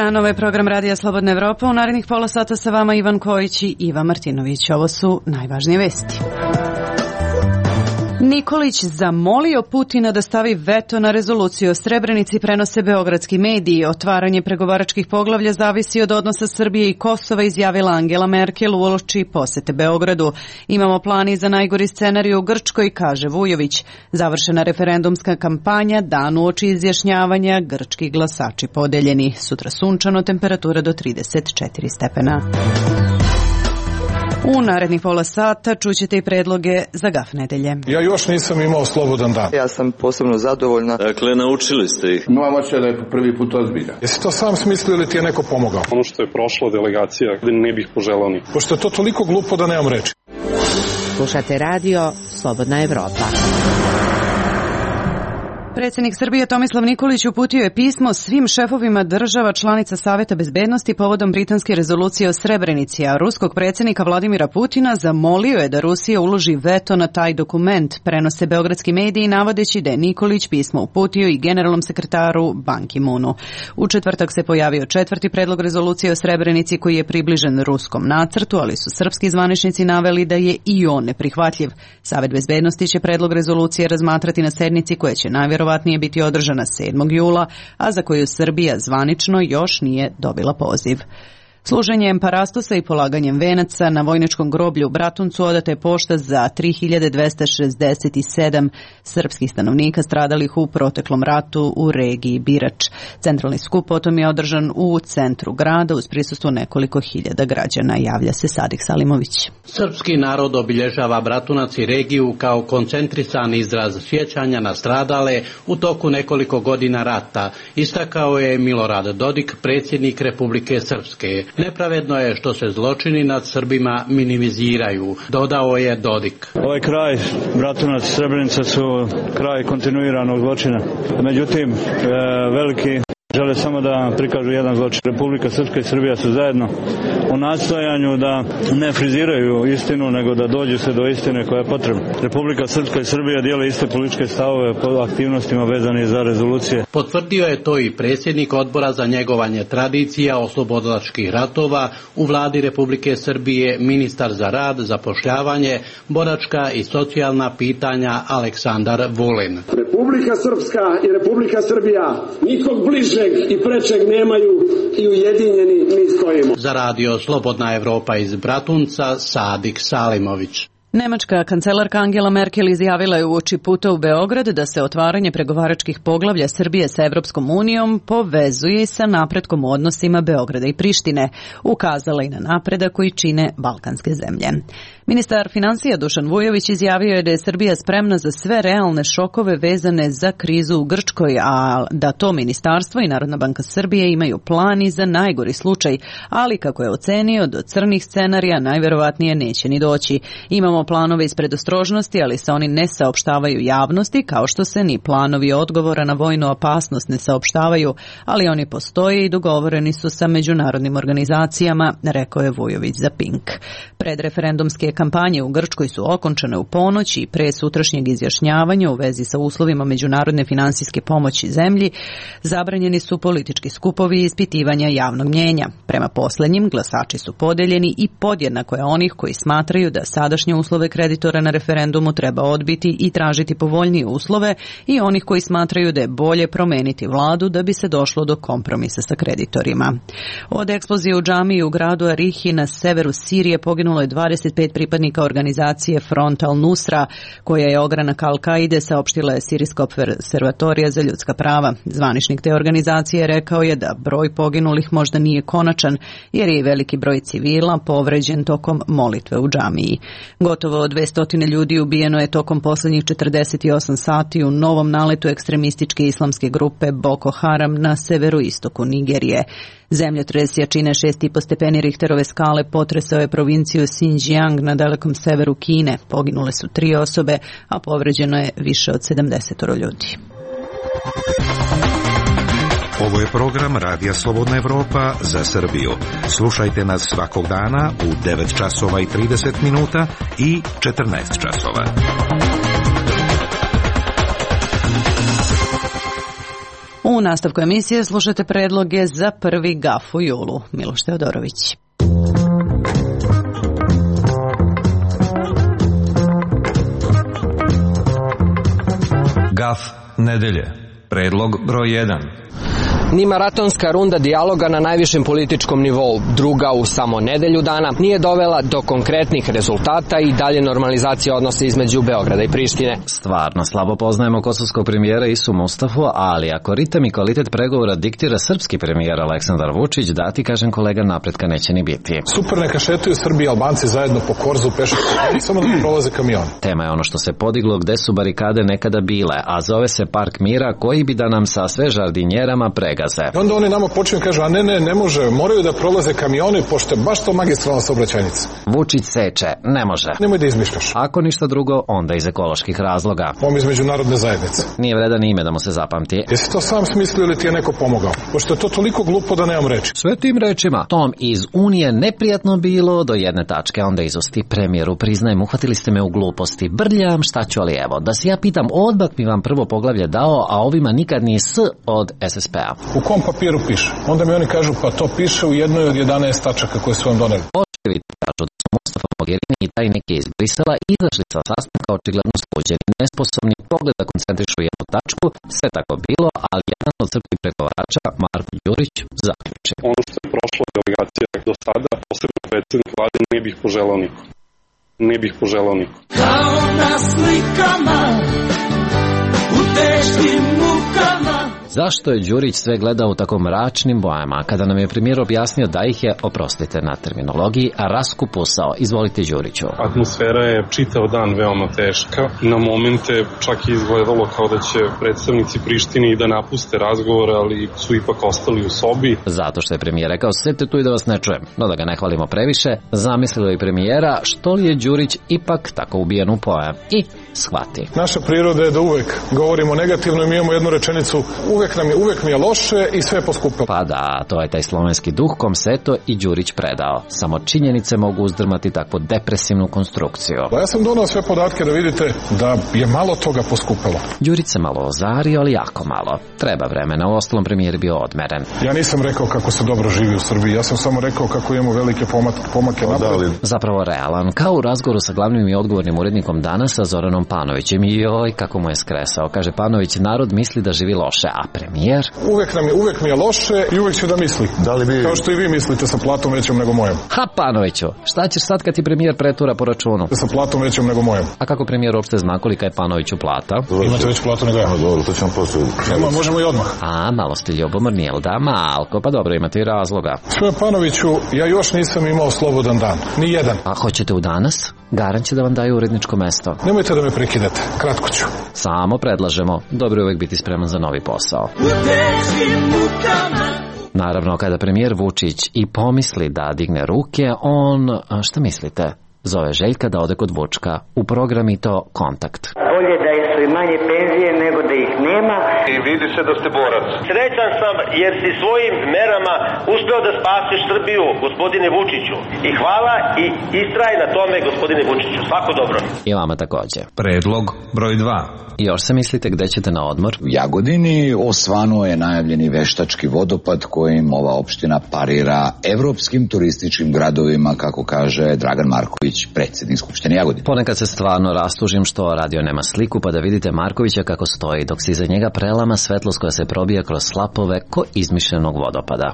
dan, ovo je program Radija Slobodna Evropa. U narednih pola sata sa vama Ivan Kojić i Iva Martinović. Ovo su najvažnije vesti. Nikolić zamolio Putina da stavi veto na rezoluciju o Srebrenici, prenose beogradski mediji. Otvaranje pregovaračkih poglavlja zavisi od odnosa Srbije i Kosova, izjavila Angela Merkel uoči posete Beogradu. Imamo plan i za najgori scenarij u Grčkoj, kaže Vujović. Završena referendumska kampanja, dan uoči izjašnjavanja, grčki glasači podeljeni. Sutra sunčano, temperatura do 34 stepena. U narednih pola sata čućete i predloge za gaf nedelje. Ja još nisam imao slobodan dan. Ja sam posebno zadovoljna. Dakle, naučili ste ih. Moja moća da je po prvi put ozbilja. Jesi to sam smislio ili ti je neko pomogao? Ono što je prošla delegacija, ne bih poželao ni. Pošto je to toliko glupo da nemam reči. Slušate radio Slobodna Evropa. Predsjednik Srbije Tomislav Nikolić uputio je pismo svim šefovima država članica Saveta bezbednosti povodom britanske rezolucije o Srebrenici, a ruskog predsjednika Vladimira Putina zamolio je da Rusija uloži veto na taj dokument, prenose beogradski mediji navodeći da je Nikolić pismo uputio i generalnom sekretaru Ban Ki-moonu. U četvrtak se pojavio četvrti predlog rezolucije o Srebrenici koji je približen ruskom nacrtu, ali su srpski zvaničnici naveli da je i on neprihvatljiv. Savet bezbednosti će predlog rezolucije razmatrati na sednici koja će najvjerovatnije biti održana 7. jula, a za koju Srbija zvanično još nije dobila poziv. Služenjem parastosa i polaganjem venaca na vojničkom groblju u Bratuncu odata je pošta za 3267 srpskih stanovnika stradalih u proteklom ratu u regiji Birač. Centralni skup potom je održan u centru grada uz prisustvo nekoliko hiljada građana, javlja se Sadik Salimović. Srpski narod obilježava Bratunac i regiju kao koncentrisan izraz sjećanja na stradale u toku nekoliko godina rata, istakao je Milorad Dodik, predsjednik Republike Srpske. Nepravedno je što se zločini nad Srbima minimiziraju, dodao je Dodik. Ovaj kraj, Bratunac, Srebrenica su kraj kontinuiranog zločina. Međutim, veliki žele samo da prikažu jedan zločin. Republika Srpska i Srbija su zajedno u nastojanju da ne friziraju istinu, nego da dođu se do istine koja je potrebna. Republika Srpska i Srbija dijele iste političke stavove po aktivnostima vezane za rezolucije. Potvrdio je to i predsjednik odbora za njegovanje tradicija oslobodilačkih ratova u vladi Republike Srbije, ministar za rad, zapošljavanje, boračka i socijalna pitanja Aleksandar Vulin. Republika Srpska i Republika Srbija nikog bliže i prečeg nemaju i ujedinjeni mi stojimo. Za radio Slobodna Evropa iz Bratunca, Sadik Salimović. Nemačka kancelarka Angela Merkel izjavila je uoči puta u Beograd da se otvaranje pregovaračkih poglavlja Srbije sa Evropskom unijom povezuje sa napretkom u odnosima Beograda i Prištine. Ukazala i na napredak koji čine balkanske zemlje. Ministar financija Dušan Vujović izjavio je da je Srbija spremna za sve realne šokove vezane za krizu u Grčkoj, a da to ministarstvo i Narodna banka Srbije imaju plan i za najgori slučaj, ali kako je ocenio, do crnih scenarija najverovatnije neće ni doći. Imamo planove iz predostrožnosti, ali se oni ne saopštavaju javnosti, kao što se ni planovi odgovora na vojnu opasnost ne saopštavaju, ali oni postoje i dogovoreni su sa međunarodnim organizacijama, rekao je Vujović za Pink. Predreferendumske kampanje u Grčkoj su okončane u ponoć i pre sutrašnjeg izjašnjavanja u vezi sa uslovima međunarodne finansijske pomoći zemlji zabranjeni su politički skupovi i ispitivanja javnog mnjenja. Prema poslednjim, glasači su podeljeni i podjednako je onih koji smatraju da sadašnje uslove kreditora na referendumu treba odbiti i tražiti povoljnije uslove i onih koji smatraju da je bolje promeniti vladu da bi se došlo do kompromisa sa kreditorima. Od eksplozije u džamiji u gradu Arihi na severu Sirije poginulo je 25 pripadnika organizacije Front al-Nusra, koja je ogranak Al-Kaide, saopštila je Sirijska observatorija za ljudska prava. Zvaničnik te organizacije rekao je da broj poginulih možda nije konačan, jer je veliki broj civila povređen tokom molitve u džamiji. Gotovo 200 ljudi ubijeno je tokom poslednjih 48 sati u novom naletu ekstremističke islamske grupe Boko Haram na severoistoku Nigerije. Zemljotres jačine 6,5 stepeni Richterove skale potresao je provinciju Xinjiang na dalekom severu Kine. Poginule su 3 osobe, a povređeno je više od 70 ljudi. Ovo je program Radija Slobodna Evropa za Srbiju. Slušajte nas svakog dana u 9 časova i 30 minuta i 14 časova. U U nastavku emisije slušate predloge za prvi GAF u julu. Miloš Teodorović. GAF nedelje. Predlog broj 1. Ni maratonska runda dijaloga na najvišem političkom nivou, druga u samo nedelju dana, nije dovela do konkretnih rezultata i dalje normalizacije odnosa između Beograda i Prištine. Stvarno, slabo poznajemo kosovskog premijera Isu Mustafu, ali ako ritam i kvalitet pregovora diktira srpski premijer Aleksandar Vučić, da ti kažem kolega, napretka neće ni biti. Super, neka šetaju Srbi i Albanci zajedno po korzu pešački, samo da prolaze kamion. Tema je ono što se podiglo gde su barikade nekada bile, a zove se Park mira, koji bi da nam sa sve žardinjerama pregaze. I onda oni nama počinju kažu, a ne može, moraju da prolaze kamioni, pošto je baš to magistralna saobraćajnica. Vučić seče, ne može. Nemoj da izmišljaš. Ako ništa drugo, onda iz ekoloških razloga. Iz međunarodne zajednice. Nije vredan ime da mu se zapamti. Jesi to sam smislio ili ti je neko pomogao? Pošto je to toliko glupo da nemam reči. Sve tim rečima, tom iz Unije neprijatno bilo do jedne tačke, onda izosti premijeru, priznajem, uhvatili ste me u gluposti, brljam, šta ću, ali evo, da se ja pitam, odbak mi vam prvo poglavlje dao, a ovima nikad ni S od SSP-a. U kom papiru piše? Onda mi oni kažu, pa to piše u jednoj od 11 tačaka koje su vam doneli. Očeviti kažu da su Mustafa Mogherini i taj neki iz Brisela izašli sa sastanka očigledno sluđeni, nesposobni, pogled da koncentrišu jednu tačku, sve tako bilo, ali jedan od srpskih pregovarača, Marko Đurić, zaključi. Ono što je prošla delegacija do sada, posebno predsjednik vlade, ne bih poželao niko. Ne bih poželao niko. Kao na slikama, u teškim mukama. Zašto je Đurić sve gledao u tako mračnim bojama? Kada nam je premijer objasnio da ih je, oprostite na terminologiji, raskupusao. Izvolite, Đuriću. Atmosfera je čitav dan veoma teška. Na momente čak je izgledalo kao da će predstavnici Prištine i da napuste razgovor, ali su ipak ostali u sobi. Zato što je premijer rekao, sedite tu i da vas ne čujem. No da ga ne hvalimo previše, zamislilo i premijera što li je Đurić ipak tako ubijen u pojam. I shvati. Naša priroda je da uvek govorimo negativno i mi imamo jednu rečenicu, uvek mi je loše i sve je poskupilo. Pa da, to je taj slovenski duh kom se to i Đurić predao. Samo činjenice mogu uzdrmati takvu depresivnu konstrukciju. Ja sam donao sve podatke da vidite da je malo toga poskupilo. Đurić se malo ozario, ali jako malo. Treba vremena, u ostalom premijer bio odmeren. Ja nisam rekao kako se dobro živi u Srbiji, ja sam samo rekao kako imamo velike pomake napred. Zapravo realan, kao u razgovoru sa glavnim i odgovornim urednikom Danas sa Zoranom Panovićem. Joj, kako mu je skresao. Kaže Panović, narod misli da živi loše, a premijer? Uvek mi je loše i uvek ću da misli. Da li bi... Kao što i vi mislite sa platom većom nego mojom. Ha, Panoviću, šta ćeš sad kad ti premijer pretura po računu? Sa platom većom nego mojom. A kako premijer uopšte zna kolika je Panoviću plata? Imate već platu nego ja. Dobro, to ćemo posle. Možemo i odmah. A, malo ste ljubomorni, jel da? Malko, pa dobro, imate i razloga. Sve Panoviću, ja još nisam imao slobodan dan. Ni jedan. A hoćete u Danas? Garan će da vam daju uredničko mesto. Nemojte da me prekidate, kratko ću. Samo predlažemo, dobro je uvek biti spreman za novi posao. Naravno, kada premijer Vučić i pomisli da digne ruke, on, šta mislite, zove Željka da ode kod Vučka u program i to Kontakt. Bolje da su i manje penzije nego da ih nema. I vidi se da ste borac. Srećan sam jer si svojim merama uspeo da spasiš Srbiju, gospodine Vučiću. I hvala i istraj na tome, gospodine Vučiću. Svako dobro. I vama takođe. Predlog broj 2. Još se mislite gde ćete na odmor? U Jagodini osvanuo je najavljeni veštački vodopad kojim ova opština parira evropskim turističkim gradovima, kako kaže Dragan Marković, predsjednik Skupštine Jagodine. Ponekad se stvarno rastužim što radio nema sliku, pa da vidite Markovića kako stoji, dok se iza njega prelama svetlost koja se probija kroz slapove ko izmišljenog vodopada.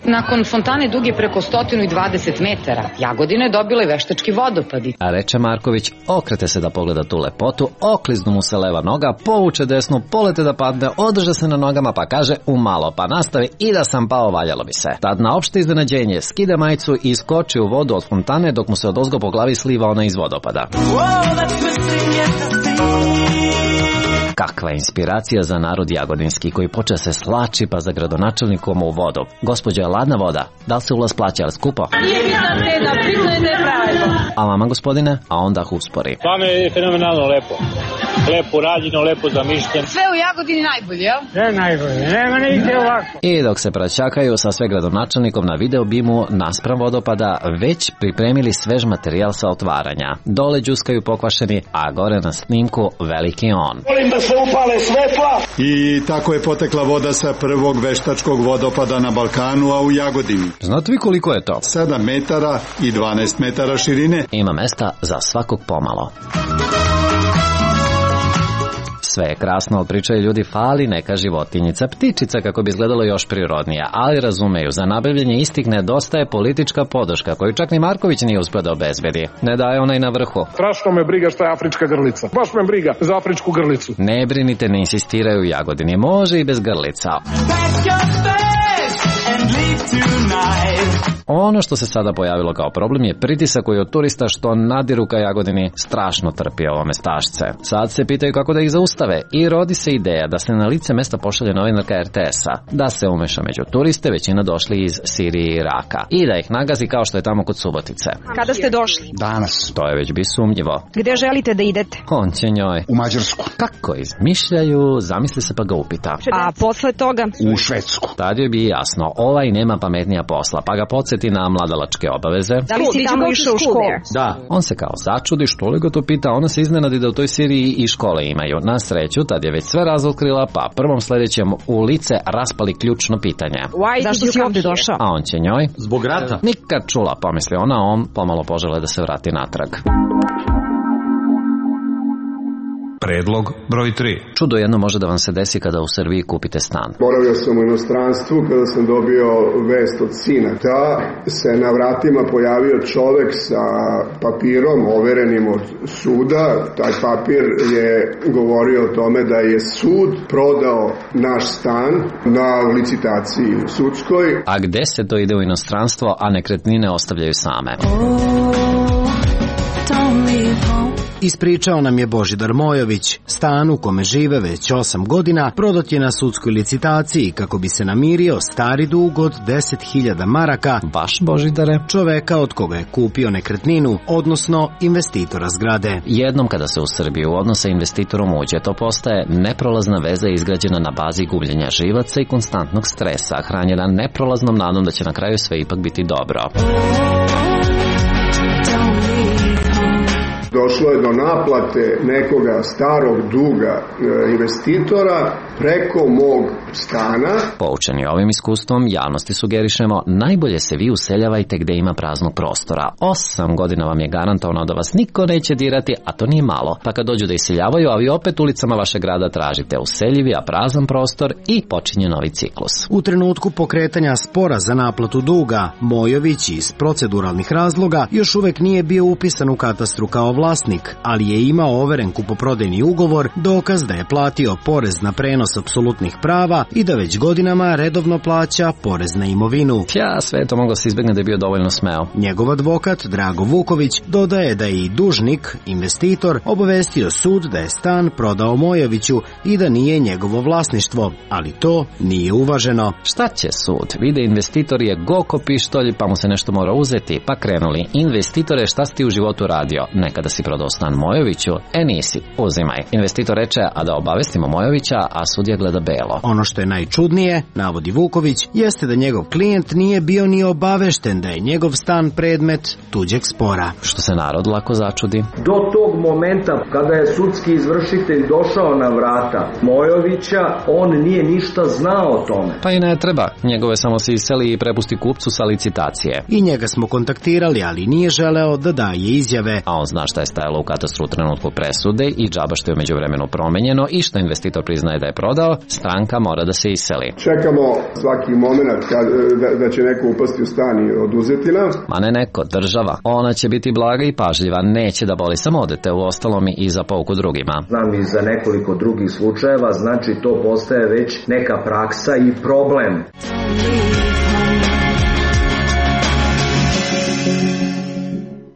Nakon fontane duge preko 120 metara, Jagodina je dobila i veštački vodopad. A reče Marković, okrete se da pogleda tu lepotu, okliznu mu se leva noga, povuče desnu, polete da padne, održe se na nogama pa kaže umalo, pa nastavi i da sam pao, valjalo bi se. Tad na opšte iznenađenje skida majicu i skoči u vodu od fontane dok mu se odozgo po glavi sliva ona iz vodopada. Kakva inspiracija za narod jagodinski koji poče se slači pa za gradonačelnikom u vodu. Gospođo, je ladna voda? Da li se ulaz plaća, ali skupo? Nije bitna cena, bitno je da je pravedno. A vama, gospodine? A onda uspori. Stvarno je fenomenalno lepo. lepo rađeno, lepo zamišljeno. Sve u Jagodini najbolje, jel? Sve najbolje, nema nigde ovako. I dok se praćakaju sa sve gradonačelnikom na video bimu naspram vodopada, već pripremili svež materijal sa otvaranja. Dole đuskaju pokvašeni, a gore na snimku veliki on. Volim da se upale svetla. I tako je potekla voda sa prvog veštačkog vodopada na Balkanu, a u Jagodini. Znate vi koliko je to? 7 metara i 12 metara širine. Ima mesta za svakog pomalo. Sve je krasno, ali pričaju ljudi, fali neka životinjica, ptičica kako bi izgledalo još prirodnije, ali razumeju, za nabavljanje istih nedostaje politička podrška koju čak ni Marković nije uspio da obezbedi. Ne daje ona i na vrhu. Strašno me briga šta je afrička grlica. Baš me briga za afričku grlicu. Ne brinite, ne insistiraju u Jagodini, može i bez grlica. Ono što se sada pojavilo kao problem je pritisak koji od turista što nadiru ka Jagodini strašno trpi ovo mestašce. Sad se pitaju kako da ih zaustave i rodi se ideja da se na lice mesta pošalje novinarka RTS-a, da se umeša među turiste, većina došli iz Sirije i Iraka, i da ih nagazi kao što je tamo kod Subotice. Kada ste došli? Danas. To je već bi sumnjivo. Gde želite da idete? On će njoj. U Mađarsku. Kako izmišljaju, zamisli se pa ga upita. A posle toga? U Švedsku. Tad joj bi jasno, ovaj nema pametnija posla, pa ga podsjeti na mladalačke obaveze. Da li si tamo išao u školu? Da. On se kao začudi, što li ga to pita, ona se iznenadi da u toj Siriji i škole imaju. Na sreću, tad je već sve razotkrila, pa prvom sledećem u lice raspali ključno pitanje. Zašto si ovde došao? A on će njoj. Zbog rata. Nikad čula, pomisli ona, on pomalo požele da se vrati natrag. Predlog broj 3. Čudo jedno može da vam se desi kada u Srbiji kupite stan. Boravio sam u inostranstvu kada sam dobio vest od sina da se na vratima pojavio čovek sa papirom overenim od suda. Taj papir je govorio o tome da je sud prodao naš stan na licitaciji sudskoj. A gde se to ide u inostranstvo, a nekretnine ostavljaju same? Ispričao nam je Božidar Mojović. Stan u kome žive već 8 godina prodat je na sudskoj licitaciji kako bi se namirio stari dug od 10.000 maraka. Baš Božidare? Čoveka od koga je kupio nekretninu, odnosno investitora zgrade. Jednom kada se u Srbiju odnos sa investitorom uđe, to postaje neprolazna veza izgrađena na bazi gubljenja živaca i konstantnog stresa, hranjena neprolaznom nadom da će na kraju sve ipak biti dobro. Došlo je do naplate nekoga starog duga investitora preko mog stana. Poučeni ovim iskustvom, javnosti sugerišemo, najbolje se vi useljavajte gde ima praznog prostora. 8 godina vam je garantovano da vas niko neće dirati, a to nije malo. Pa kad dođu da iseljavaju, a vi opet ulicama vašeg grada tražite useljivi, a prazan prostor i počinje novi ciklus. U trenutku pokretanja spora za naplatu duga, Mojović iz proceduralnih razloga još uvek nije bio upisan u katastru kao vlasnik, ali je imao overen kupoprodajni ugovor, dokaz da je platio porez na prenos apsolutnih prava i da već godinama redovno plaća porez na imovinu. Sve to moglo se izbegne da je bio dovoljno smeo. Njegov advokat Drago Vuković dodaje da je i dužnik, investitor, obavestio sud da je stan prodao Mojoviću i da nije njegovo vlasništvo, ali to nije uvaženo. Šta će sud? Vide investitor je goko pištolj, pa mu se nešto mora uzeti, pa krenuli. Investitore, šta si ti u životu radio? Nekada si prodao stan Mojoviću? Nisi, uzimaj. Investitor reče, a da obavestimo Mojovića, a sudija gleda belo. Ono što je najčudnije, navodi Vuković, jeste da njegov klijent nije bio ni obavešten da je njegov stan predmet tuđeg spora. Što se narod lako začudi. Do tog momenta kada je sudski izvršitelj došao na vrata Mojovića, on nije ništa znao o tome. Pa i ne treba. Njegove samo se iseli i prepusti kupcu sa licitacije. I njega smo kontaktirali, ali nije želeo da daje izjave. A on zna šta je stajalo u katastru u trenutku presude i džaba što je umeđu vremenu promenjeno i što investitor priznaje da je prodao, stranka mora da se iseli. Čekamo svaki moment da će neko upasti u stan i oduzeti nam. Ma ne neko, država. Ona će biti blaga i pažljiva, neće da boli, samo odete u ostalom i za pouku drugima. Znam i za nekoliko drugih slučajeva, znači to postaje već neka praksa i problem.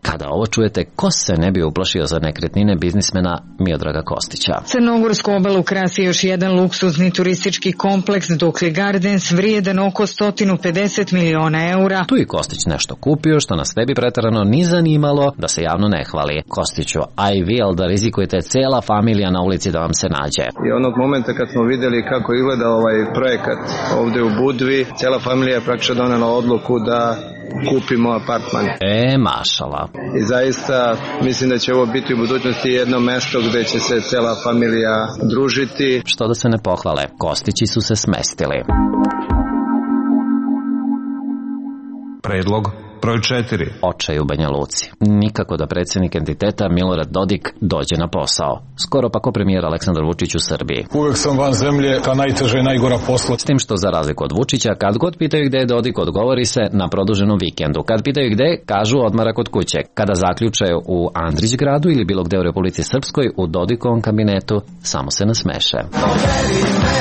Kada Kada ovo čujete, ko se ne bi uplašio za nekretnine biznismena Miodraga Kostića? Crnogorsku obalu krasi još jedan luksuzni turistički kompleks Dokli Gardens vrijedan oko 150 miliona eura. Tu i Kostić nešto kupio što nas ne bi preterano ni zanimalo da se javno ne hvali. Kostiću, a i vi, ali da rizikujete cela familija na ulici da vam se nađe. I onog momenta kad smo vidjeli kako izgleda ovaj projekat ovde u Budvi, cela familija je praktično donela odluku da kupimo apartman. Mašala. I zaista mislim da će ovo biti u budućnosti jedno mesto gde će se cela familija družiti. Što da se ne pohvale, Kostići su se smestili. Predlog broj 4. Očaj u Banja Luci. Nikako da predsjednik entiteta Milorad Dodik dođe na posao. Skoro pa ko premijer Aleksandar Vučić u Srbiji. Uvek sam van zemlje, ta najteža i najgora posla. S tim što za razliku od Vučića, kad god pitaju gde je Dodik, odgovori se na produženom vikendu. Kad pitaju gde, kažu odmara kod kuće. Kada zaključe u Andrićgradu ili bilo gde u Republici Srpskoj, u Dodikovom kabinetu samo se nasmeše. Odvedi me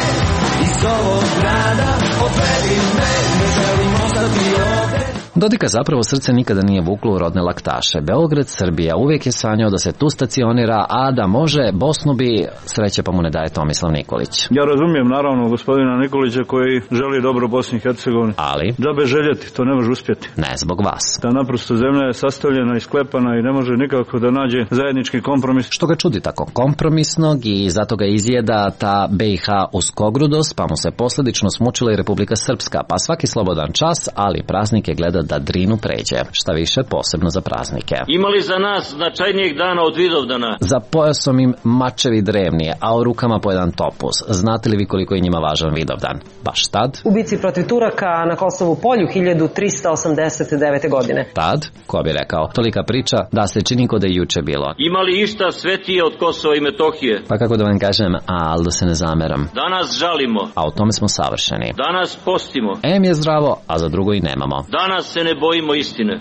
iz ovog grada, odvedi me, ne želim ostati ovde. Dodika zapravo srce nikada nije vuklo u rodne laktaše. Beograd, Srbija, uvijek je sanjao da se tu stacionira, a da može, Bosnu bi, sreće pa mu ne daje Tomislav Nikolić. Ja razumijem naravno gospodina Nikolića koji želi dobro Bosni i Hercegovini. Ali? Džabe željeti, to ne može uspjeti. Ne zbog vas. Ta naprosto zemlja je sastavljena i sklepana i ne može nikako da nađe zajednički kompromis. Što ga čudi tako kompromisnog i zato ga izjeda ta BiH uskogrudost, pa mu se posljedično smučila i Republika Srpska, pa svaki slobodan čas, ali praznike gleda da Drinu pređe, šta više posebno za praznike. Imali za nas značajnijeg dana od Vidovdana? Za pojasom im mačevi drevnije, a u rukama po jedan topuz. Znate li vi koliko je njima važan Vidovdan? Baš tad? Ubici protiv Turaka na Kosovu polju 1389. godine. Tad, ko bi rekao, tolika priča da se čini ko da je juče bilo. Imali išta svetije od Kosova i Metohije? Pa kako da vam kažem, ali da se ne zameram. Danas žalimo. A u tome smo savršeni. Danas postimo. Em je zdravo, a za drugo i nemamo. Danas se ne bojimo istine.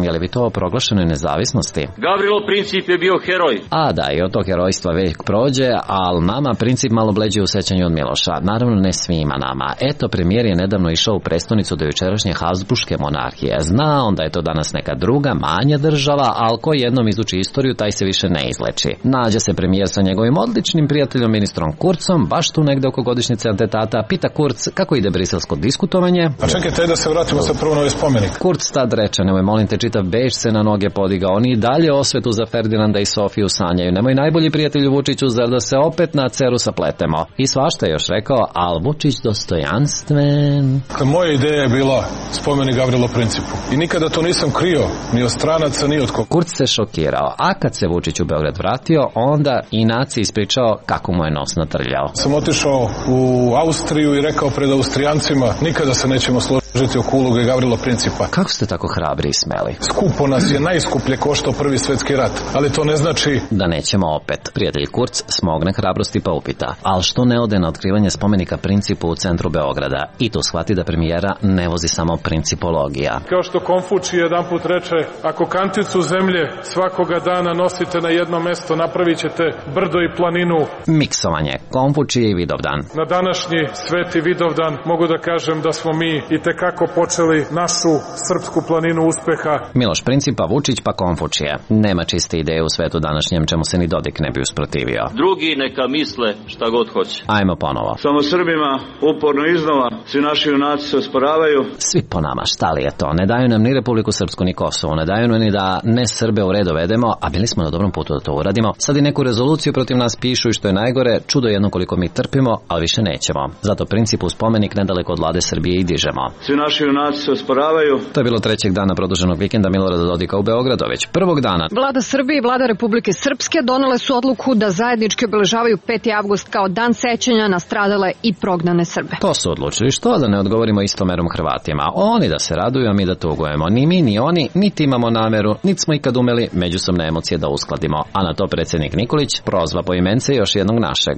Je li bi to o proglašenoj nezavisnosti? Gavrilo Princip je bio heroj. A da, i od tog herojstva vek prođe, ali nama Princip malo bleđe u sećanju od Miloša. Naravno ne svima nama. Eto, premijer je nedavno išao u prestonicu do jučerašnje Habsburške monarhije. Zna on da je to danas neka druga, manja država, ali ko jednom izuči istoriju, taj se više ne izleči. Nađe se premijer sa njegovim odličnim prijateljom ministrom Kurcom, baš tu negde oko godišnjice atentata. Pita Kurc kako ide briselsko diskutovanje. A čekajte da se vratimo sad prvo na ovaj spomenik. Kurc tad reče, nemoj molim te, čitav Beč se na noge podigao. Oni i dalje osvetu za Ferdinanda i Sofiju sanjaju. Nemoj najbolji prijatelju Vučiću, zar da se opet na ceru sapletemo. I svašta je još rekao, al Vučić dostojanstven. Moja ideja je bila spomenik Gavrilo Principu. I nikada to nisam krio, ni od stranaca, ni od koga. Kurc se šokirao, a kad se Vučić u Beograd vratio, onda i naciji ispričao kako mu je nos natrljao. Sam otišao u Austriju i rekao pred Austrijancima, nikada se nećemo složiti oko uloge Gavrilo Principa. Kako ste tako hrabri i smeli? Skupo nas je najskuplje koštao Prvi svjetski rat, ali to ne znači da nećemo opet. Prijatelj Kurc smogne hrabrosti pa upita, ali što ne ode na otkrivanje spomenika Principu u centru Beograda i tu shvati da premijera ne vozi samo principologija. Kao što Konfučij jedanput reče, ako kanticu zemlje svakoga dana nosite na jedno mesto, napravit ćete brdo i planinu. Miksovanje Konfučije i Vidovdan. Na današnji sveti Vidovdan mogu da kažem da smo mi i tekako počeli našu srpsku planinu uspeha. Miloš Principa, Vučić pa Konfučije. Nema čiste ideje u svetu današnjem čemu se ni Dodik ne bi usprotivio. Drugi neka misle šta god hoće. Ajmo ponovo. Samo Srbima uporno iznova svi naši junaci se osporavaju. Svi po nama, šta li je to? Ne daju nam ni Republiku Srpsku ni Kosovo, ne daju nam ni da ne Srbe u red dovedemo, a bili smo na dobrom putu da to uradimo. Sad i neku rezoluciju protiv nas pišu i što je najgore, čudo jedno koliko mi trpimo, ali više nećemo. Zato Principu spomenik nedaleko od Vlade Srbije i dižemo. Svi naši junaci se osporavaju. To je bilo trećeg dana produženog vikenda Milorada Dodika u Beogradu, već prvog dana. Vlada Srbije i Vlada Republike Srpske donele su odluku da zajednički obeležavaju 5. avgust kao dan sećanja na stradale i prognane Srbe. To su odlučili, što da ne odgovorimo istomerom Hrvatima. Oni da se raduju, a mi da tugujemo. Ni mi, ni oni, niti imamo nameru, niti smo ikad umeli međusobne emocije da uskladimo. A na to predsjednik Nikolić prozva po imence još jednog našeg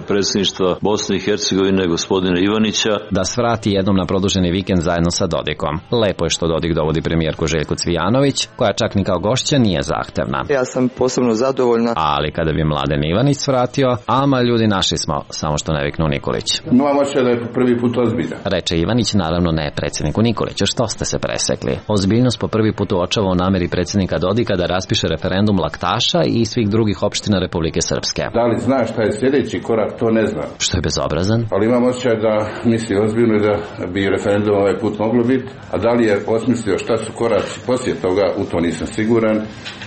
predsjedništva Bosne i Hercegovine, gospodina Ivanića, da svrati jednom na produženi vikend zajedno sa Dodikom. Lepo je što Dodik dovodi premijerku Željku Cvijanović, koja čak ni kao gošća nije zahtevna. Ja sam posebno zadovoljna. Ali kada bi Mladen Ivanić svratio, ama ljudi naši smo, samo što ne viknu Nikolić. Imam osjećaj da je po prvi put ozbiljan. Reče Ivanić, naravno ne predsjedniku Nikoliću, što ste se presekli. Ozbiljnost po prvi put uočava u nameri predsjednika Dodika da raspiše referendum Laktaša i svih drugih opština Republike Srpske. Da li zna šta je sljedeći korak, to ne zna. Što je bezobrazan? Ali imam osjećaj da misli ozbiljno i da bi referendum ovaj put moglo biti, a da li je osmislio šta su koraci poslije toga, u to nisam siguran,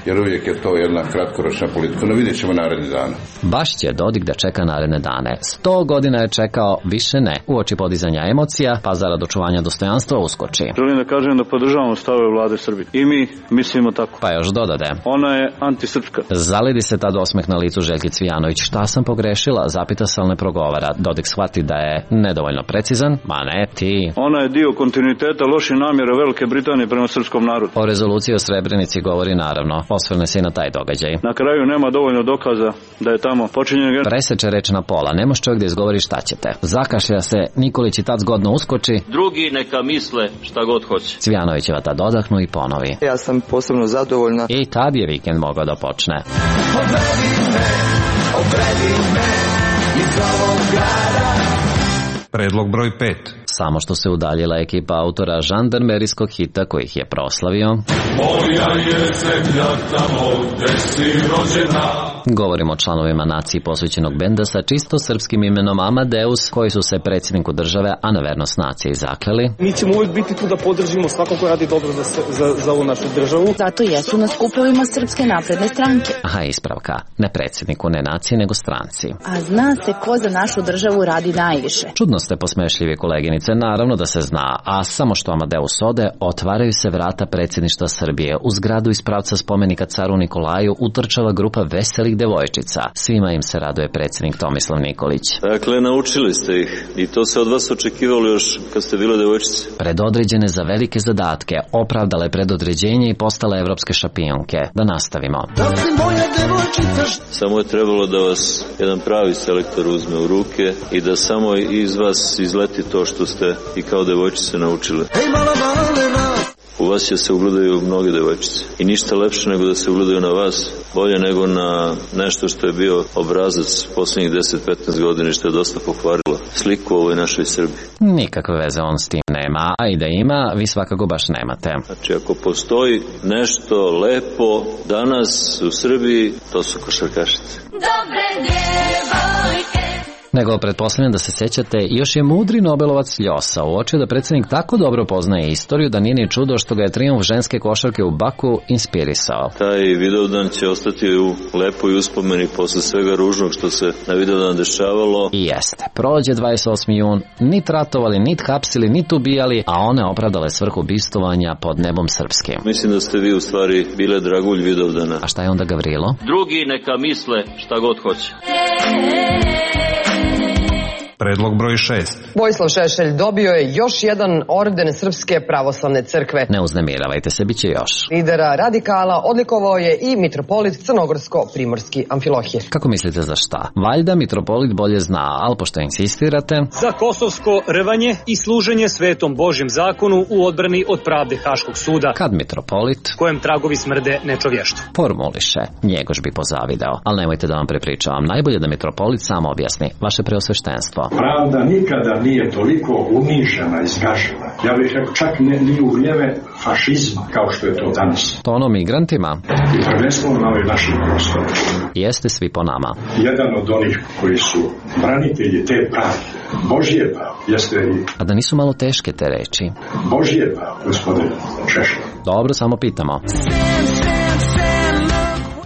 jer uvijek je to jedna kratkoročna politika. No vidjet ćemo naredni dan. Baš će Dodik da čeka naredne dane. 100 godina je čekao, više ne. Uoči podizanja emocija, pa zarad očuvanja dostojanstva uskoči. Želim da kažem da podržavamo stavove vlade Srbije. I mi mislimo tako. Pa još dodade. Ona je antisrpska. Zalidi se tad osmeh na licu Željki Cvijanović. Šta sam pogrešila? Zapita se, ali ne progovara. Dodik shvati da je nedovoljno precizan. Ma ne ti. Ona je dio kontinuiteta loših namjera Velike Britanije prema srpskom narodu. O rezoluciji o Srebrenici govori naravno. Osvrne se i na taj događaj. Na kraju nema dovoljno dokaza da je tamo počinjen genocid. Preseče reč na pola. Ne može čovjek da izgovori šta ćete. Zakašlja se, Nikolić i tad zgodno uskoči. Drugi neka misle šta god hoće. Cvijanovićeva tad odahnu i ponovi. Ja sam posebno zadovoljna. I tad je vikend mogao da počne. Odredi me iz ovog grada. Predlog broj 5. Samo što se udaljila ekipa autora žandarmerijskog hita koji ih je proslavio. Moja je zemlja tamo gde si rođena. Govorimo o članovima naciji posvećenog benda sa čisto srpskim imenom Amadeus, koji su se predsjedniku države, a na vernost naciji zakleli. Mi ćemo uvijek biti tu da podržimo svako ko radi dobro za ovu našu državu. Zato jesu na skupovima Srpske napredne stranke. Aha, ispravka. Ne predsjedniku, ne naciji, nego stranci. A zna se ko za našu državu radi najviše. Čudno ste posmešljivi, koleginice, naravno da se zna, a samo što Amadeus ode, otvaraju se vrata predsjedništva Srbije. U zgradu iz pravca spomenika caru Nikolaju utrčava grupa veselih devojčica. Svima im se raduje predsjednik Tomislav Nikolić. Dakle, naučili ste ih i to se od vas očekivalo još kad ste bile devojčice. Predodređene za velike zadatke, opravdale predodređenje i postale evropske šampionke. Da nastavimo. Samo je trebalo da vas jedan pravi selektor uzme u ruke i da samo iz vas izleti to što ste i kao devojčice naučile. U vas će se ugledaju mnoge devojčice i ništa lepše nego da se ugledaju na vas, bolje nego na nešto što je bio obrazac posljednjih 10-15 godina i što je dosta pokvarilo sliku u ovoj našoj Srbiji. Nikakve veze on s tim nema, a i da ima, vi svakako baš nemate. Znači, ako postoji nešto lepo danas u Srbiji, to su košarkašice. Dobre djevojke. Nego pretpostavljam da se sećate, još je mudri Nobelovac Ljosa uočio da predsjednik tako dobro poznaje istoriju da nije ni čudo što ga je trijumf ženske košarke u Baku inspirisao. Taj Vidovdan će ostati u lepoj uspomeni posle svega ružnog što se na Vidovdan dešavalo. I jeste. Prođe 28. jun, nit ratovali, nit hapsili, nit ubijali, a one opravdale svrhu bistovanja pod nebom srpskim. Mislim da ste vi u stvari bile dragulj Vidovdana. A šta je onda Gavrilo? Drugi neka misle šta god hoće. Predlog broj 6. Vojislav Šešelj dobio je još jedan orden Srpske pravoslavne crkve. Ne uznemiravajte se, bit će još. Lidera radikala odlikovao je i mitropolit Crnogorsko-Primorski Amfilohije. Kako mislite za šta? Valjda mitropolit bolje zna, ali pošto insistirate... Za kosovsko rvanje i služenje svetom Božjem zakonu u odbrani od pravde Haškog suda. Kad mitropolit... kojem tragovi smrde nečovještvo. Formuliše, Njegoš bi pozavideo. Ali nemojte da vam prepričavam, najbolje da mitropolit sam objasni. Vaše preosveštenstvo. Pravda nikada nije toliko unižena i zgažena. Ja bih rekao čak ni u vrijeme fašizma kao što je to danas. To ono migrantima? I prvenstveno na ovim našim prostorima. Jeste svi po nama. Jedan od onih koji su branitelji te pravde, Božje pravo, jeste i... A da nisu malo teške te reči? Božje pravo, gospodine Šešelj. Dobro, samo pitamo.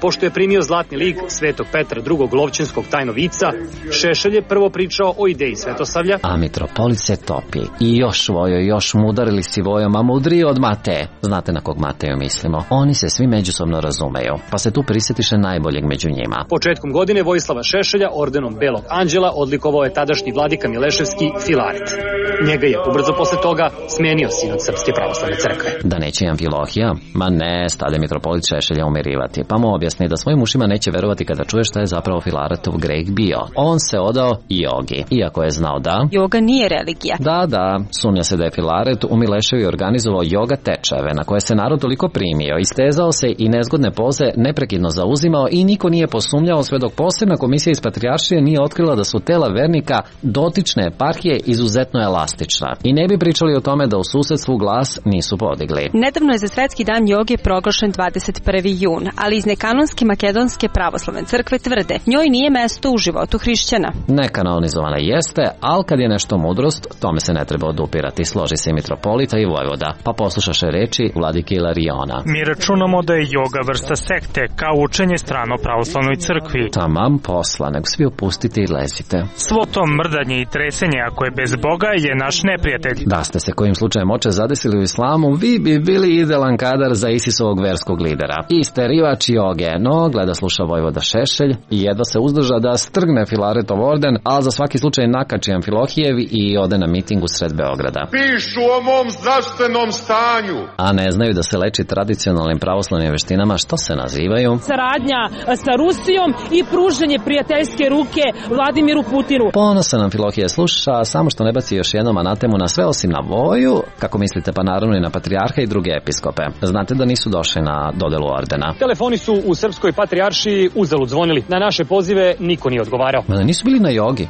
Pošto je primio zlatni lig Svetog Petra II. Lovćinskog tajnovica, Šešelj je prvo pričao o ideji svetosavlja. A mitropolit se topi. I još vojo, još mu udarili si vojom, a mudriji od Mateje. Znate na kog Mateju mislimo? Oni se svi međusobno razumeju, pa se tu prisjetiše najboljeg među njima. Početkom godine Vojislava Šešelja ordenom Belog anđela odlikovao je tadašnji vladika Mileševski Filaret. Njega je ubrzo posle toga smenio sinod Srpske pravoslavne crkve. Da neće Amfilohija? Ma ne, stade mitropolit Šešelja umirivati, pa mu objasni da svojim ušima neće verovati kada čuje šta je zapravo Filaretov greh bio. On se odao jogi, iako je znao da joga nije religija. Da, sumnja se da je Filaret u Mileševi organizovao joga tečajeve na koje se narod toliko primio, istezao se i nezgodne poze neprekidno zauzimao i niko nije posumnjao sve dok posebna komisija iz Patrijaršije nije otkrila da su tela vernika dotične eparhije izuzetno elastična. I ne bi pričali o tome da u susedstvu glas nisu podigli. Nedavno je za Svetski dan joge proglašen 21. jun, ali iz nekanonske makedonske pravoslavne crkve tvrde njoj nije mesto u životu hrišćana. Nekanonizovana jeste, ali kad je nešto mudrost, tome se ne treba odupirati, složi se i mitropolita i vojvoda. Pa poslušaše reči vladike Ilariona. Mi računamo da je joga vrsta sekte, kao učenje strano pravoslavnoj crkvi. Tamam posla, nego svi opustite i lezite. Svo to mrdanje i tresenje, ako je bez Boga, je naš neprijatelj. Da ste se kojim slučajem oče zadesili u islamu, vi bi bili idealan kadar za Isisovog verskog lidera. Isterivač joge, no gleda sluša vojvoda Šešelj i jedva se uzdrža da strgne Filaretov orden, ali za svaki slučaj nakači Amfilohijev i ode na miting u sred Beograda. Pišu o mom zdravstvenom stanju. A ne znaju da se leči tradicionalnim pravoslavnim veštinama što se nazivaju saradnja sa Rusijom i pružanje prijateljske ruke Vladimiru Putinu. Ponosan Amfilohije sluša, samo što ne baci još jednom anatemu na sve osim na voju, kako mislite, pa naravno i na patrijarha i druge episkope. Znate da nisu došli na dodelu ordena. Telefoni su u Srpskoj patrijaršiji uzalud zvonili. Na naše pozive niko nije odgovarao. Ma nisu bili na jogi.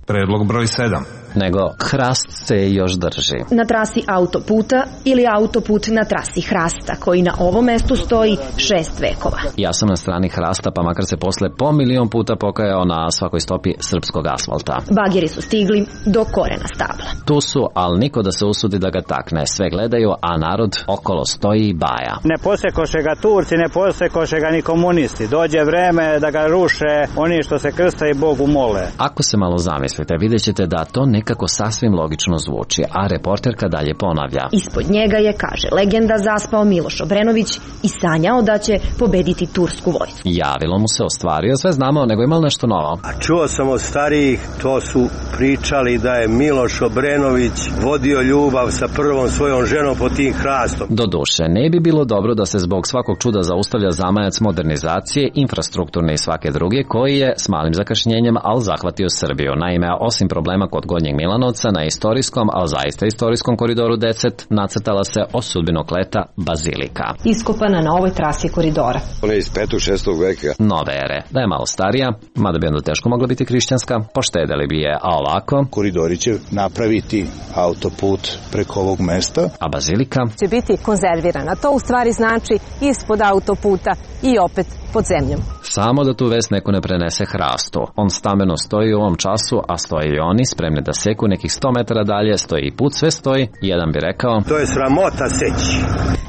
Predlog broj 7. Nego hrast se još drži. Na trasi autoputa ili autoput na trasi hrasta, koji na ovom mestu stoji 6 vekova. Ja sam na strani hrasta, pa makar se posle po milion puta pokajao na svakoj stopi srpskog asfalta. Bageri su stigli do korena stabla. Tu su, ali niko da se usudi da ga takne. Sve gledaju, a narod okolo stoji i baja. Ne posekoše ga Turci, ne posekoše ga ni komunisti. Dođe vreme da ga ruše oni što se krsta i Bogu mole. Ako se malo zamislite, vidjet ćete da to nekako sasvim logično zvuči, a reporterka dalje ponavlja. Ispod njega je, kaže legenda, zaspao Miloš Obrenović i sanjao da će pobediti tursku vojsku. Javilo mu se, ostvario, sve znamo, nego ima nešto novo. A čuo sam od starijih, to su pričali da je Miloš Obrenović vodio ljubav sa prvom svojom ženom pod tim hrastom. Doduše, ne bi bilo dobro da se zbog svakog čuda zaustavlja zamajac modernizacije, infrastrukturne i svake druge, koji je s malim zakašnjenjem, ali zahvatio Srbiju. Naime, osim problema kod Gornjeg Milanovca, na istorijskom, ali zaista istorijskom koridoru 10 nacrtala se o sudbinokleta bazilika. Iskopana na ovoj trasi koridora. Ona je iz 5. 6. veka. Nove ere. Da je malo starija, mada bi onda teško mogla biti hrišćanska, poštedeli bi je, a ovako koridori će napraviti autoput preko ovog mesta, a bazilika će biti konzervirana. To u stvari znači ispod autoputa i opet pod zemljom. Samo da tu vest neko ne prenese hrastu. On stameno stoji u ovom času, a stoje i oni, spremni da seku nekih 100 metara dalje, stoji i put, sve stoji. Jedan bi rekao, to je sramota seći.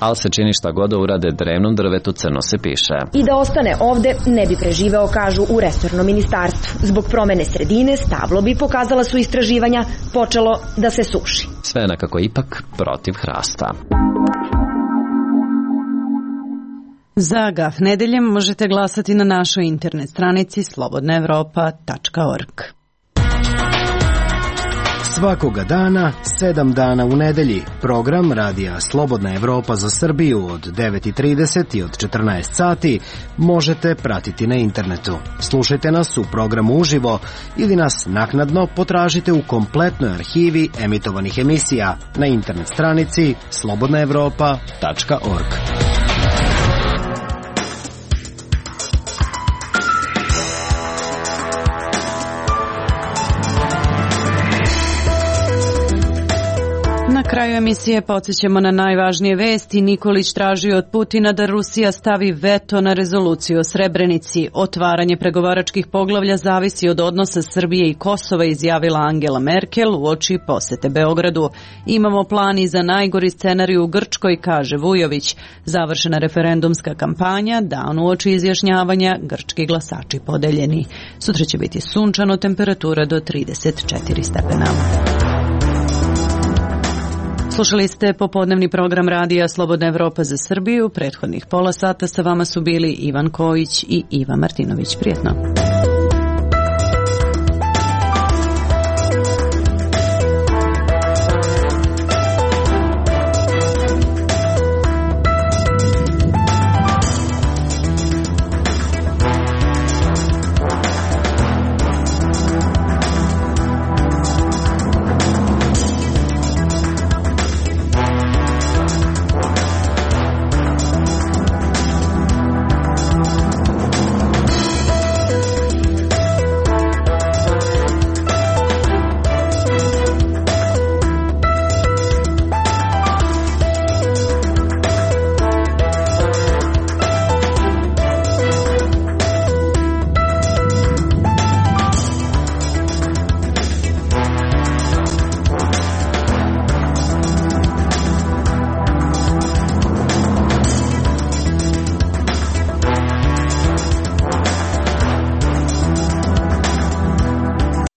Ali se čini šta god da urade drevnom drvetu, crno se piše. I da ostane ovde ne bi preživeo, kažu u resornom ministarstvu. Zbog promene sredine stablo bi, pokazala su istraživanja, počelo da se suši. Sve nekako ipak protiv hrasta. Za Gaf nedeljem možete glasati na našoj internet stranici slobodnaevropa.org. Svakoga dana, 7 dana u nedelji. Program Radija Slobodna Evropa za Srbiju od 9:30 i od 14 sati možete pratiti na internetu. Slušajte nas u programu uživo ili nas naknadno potražite u kompletnoj arhivi emitovanih emisija na internet stranici slobodnaevropa.org. Na kraju emisije podsjećamo na najvažnije vesti. Nikolić traži od Putina da Rusija stavi veto na rezoluciju o Srebrenici. Otvaranje pregovaračkih poglavlja zavisi od odnosa Srbije i Kosova, izjavila Angela Merkel uoči posete Beogradu. Imamo plan i za najgori scenarij u Grčkoj, kaže Vujović. Završena referendumska kampanja, dan uoči izjašnjavanja, grčki glasači podeljeni. Sutra će biti sunčano, temperatura do 34 stepena. Slušali ste popodnevni program Radija Slobodna Evropa za Srbiju. Prethodnih pola sata sa vama su bili Ivan Kojić i Iva Martinović. Prijetno.